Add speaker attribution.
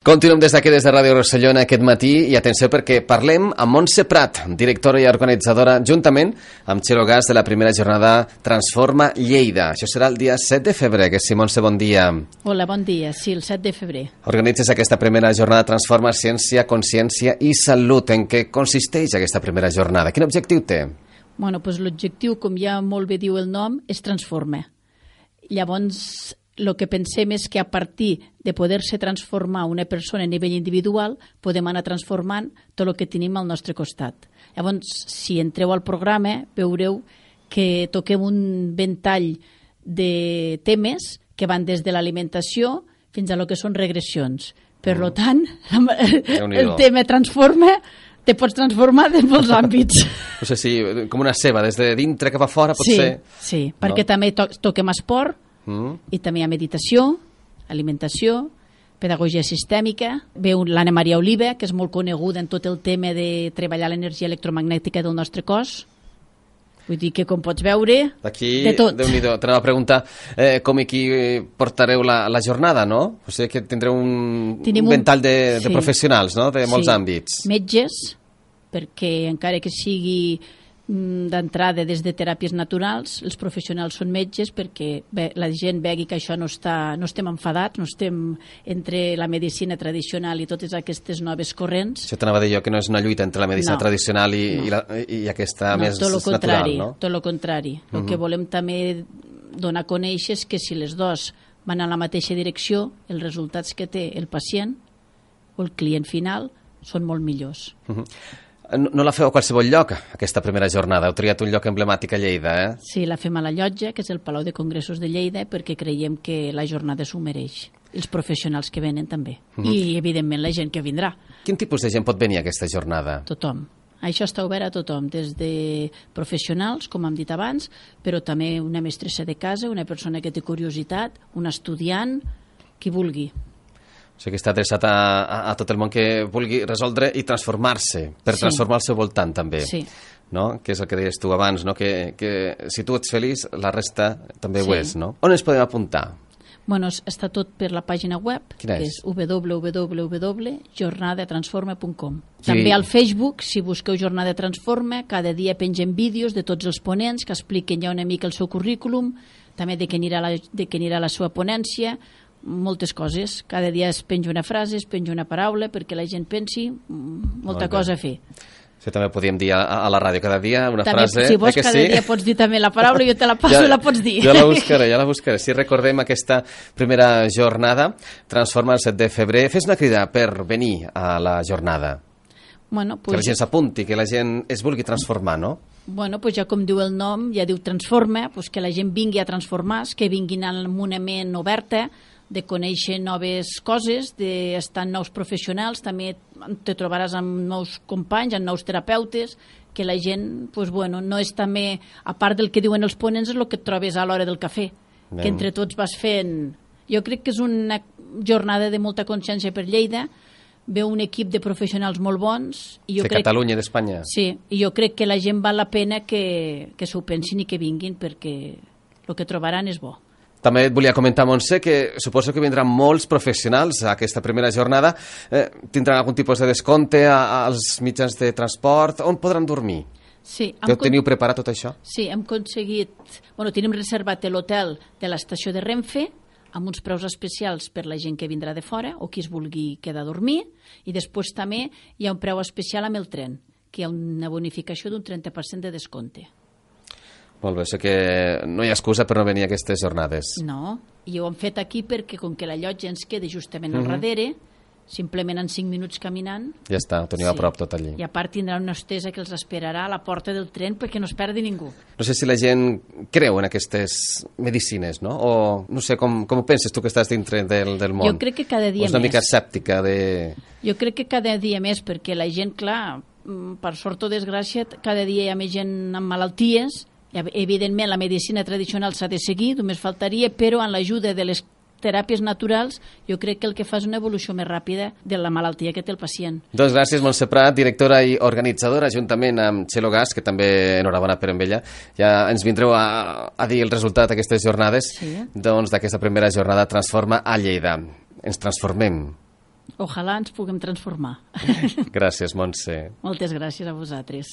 Speaker 1: Continuem des d'aquí, des de Ràdio Rossellona, aquest matí, i atenció perquè parlem amb Montse Prat, directora i organitzadora, juntament amb Txelo Gas, de la primera jornada Transforma Lleida. Això serà el dia 7 de febrer, que sí, Montse, bon dia.
Speaker 2: Hola, bon dia, sí, el 7 de febrer.
Speaker 1: Organitzes aquesta primera jornada Transforma Ciència, Consciència i Salut. En què consisteix aquesta primera jornada? Quin objectiu té?
Speaker 2: Bueno, doncs l'objectiu, com ja molt bé diu el nom, és transformar. Llavors, el que pensem és que a partir de poder-se transformar una persona a nivell individual, podem anar transformant tot el que tenim al nostre costat. Llavors, si entreu al programa, veureu que toquem un ventall de temes que van des de l'alimentació fins a lo que són regressions. Per tant, el tema transforma, te pots transformar de molts àmbits.
Speaker 1: No sé si, com una ceba, des de dintre cap a fora, potser...
Speaker 2: Sí, perquè també toquem esport, i també hi ha meditació, alimentació, pedagogia sistèmica. Veu l'Anna Maria Oliva, que és molt coneguda en tot el tema de treballar l'energia electromagnètica del nostre cos. Vull dir que, com pots veure,
Speaker 1: d'aquí,
Speaker 2: de tot.
Speaker 1: Déu-n'hi-do. T'anava a preguntar com i qui portareu la jornada, no? O sigui que tindreu un ventall de professionals, no?, de molts àmbits.
Speaker 2: Metges, perquè encara que sigui d'entrada des de teràpies naturals, els professionals són metges perquè la gent vegi que això no estem enfadats, no estem entre la medicina tradicional i totes aquestes noves corrents.
Speaker 1: Això t'anava a dir jo, que no és una lluita entre la medicina tradicional i aquesta més natural, no?
Speaker 2: Tot el contrari. El que volem també donar a conèixer és que si les dues van en la mateixa direcció, els resultats que té el pacient o el client final són molt millors.
Speaker 1: No la feu a qualsevol lloc, aquesta primera jornada. Heu triat un lloc emblemàtic a Lleida, eh?
Speaker 2: Sí, la fem a la Llotja, que és el Palau de Congressos de Lleida, perquè creiem que la jornada s'ho mereix. Els professionals que venen també. I, evidentment, la gent que vindrà.
Speaker 1: Quin tipus de gent pot venir a aquesta jornada?
Speaker 2: Tothom. Això està obert a tothom, des de professionals, com hem dit abans, però també una mestressa de casa, una persona que té curiositat, un estudiant, qui vulgui.
Speaker 1: O sigui que està adreçat a tot el món que vulgui resoldre i transformar-se, per transformar el seu voltant també.
Speaker 2: Sí.
Speaker 1: No? Que és el que deies tu abans, no? Que si tu ets feliç, la resta també ho és, no? On ens podem apuntar?
Speaker 2: Bueno, està tot per la pàgina web,
Speaker 1: que és
Speaker 2: www.jornadatransforma.com. També al Facebook, si busqueu Jornada Transforma, cada dia pengem vídeos de tots els ponents que expliquen ja una mica el seu currículum, també de què anirà la seva ponència, moltes coses. Cada dia es penja una frase, es penja una paraula perquè la gent pensi molta cosa a fer.
Speaker 1: Això també podíem dir a la ràdio cada dia, una frase.
Speaker 2: Si vols, cada dia pots dir també la paraula, jo te la passo i la pots dir.
Speaker 1: Ja la buscaré. Si recordem aquesta primera jornada, Transforma el 7 de febrer. Fes una crida per venir a la jornada. Que la gent s'apunti, que la gent es vulgui transformar, no?
Speaker 2: Bueno, ja com diu el nom, ja diu transforma, que la gent vingui a transformar-se, que vinguin amb una ment oberta, de conèixer noves coses, d'estar en nous professionals, també te trobaràs amb nous companys, amb nous terapeutes, que la gent, no és també, a part del que diuen els ponents, és el que et trobes a l'hora del cafè, que entre tots vas fent... Jo crec que és una jornada de molta consciència per Lleida, veu un equip de professionals molt bons.
Speaker 1: De Catalunya i d'Espanya.
Speaker 2: Sí, i jo crec que la gent val la pena que s'ho pensin i que vinguin, perquè el que trobaran és bo.
Speaker 1: També et volia comentar, Montse, que suposo que vindran molts professionals a aquesta primera jornada. Tindran algun tipus de descompte als mitjans de transport? On podran dormir?
Speaker 2: Sí.
Speaker 1: Teniu preparat tot això?
Speaker 2: Sí, hem aconseguit... Tenim reservat l'hotel de l'estació de Renfe amb uns preus especials per la gent que vindrà de fora o qui es vulgui quedar a dormir, i després també hi ha un preu especial amb el tren, que hi ha una bonificació d'un 30% de descompte.
Speaker 1: Molt bé, sé que no hi ha excusa per no venir a aquestes jornades.
Speaker 2: No, i ho hem fet aquí perquè com que la llotja ens queda justament al darrere, simplement en 5 minuts caminant...
Speaker 1: Ja està, ho teniu a prop tot allí.
Speaker 2: I a part tindrà una hostessa que els esperarà a la porta del tren perquè no es perdi ningú.
Speaker 1: No sé si la gent creu en aquestes medicines, no? O no sé, com ho penses tu que estàs dintre del món?
Speaker 2: Jo crec que cada dia més.
Speaker 1: O és una mica escèptica de...
Speaker 2: Jo crec que cada dia més, perquè la gent, clar, per sort o desgràcia, cada dia hi ha més gent amb malalties. Evidentment, la medicina tradicional s'ha de seguir, només faltaria, però amb l'ajuda de les teràpies naturals, jo crec que el que fa és una evolució més ràpida de la malaltia que té el pacient.
Speaker 1: Doncs gràcies, Montse Prat, directora i organitzadora, juntament amb Txelo Gas, que també enhorabona per amb ella. Ja ens vindreu a dir el resultat d'aquestes jornades, doncs d'aquesta primera jornada Transforma a Lleida. Ens transformem.
Speaker 2: Ojalà ens puguem transformar.
Speaker 1: Gràcies, Montse.
Speaker 2: Moltes gràcies a vosaltres.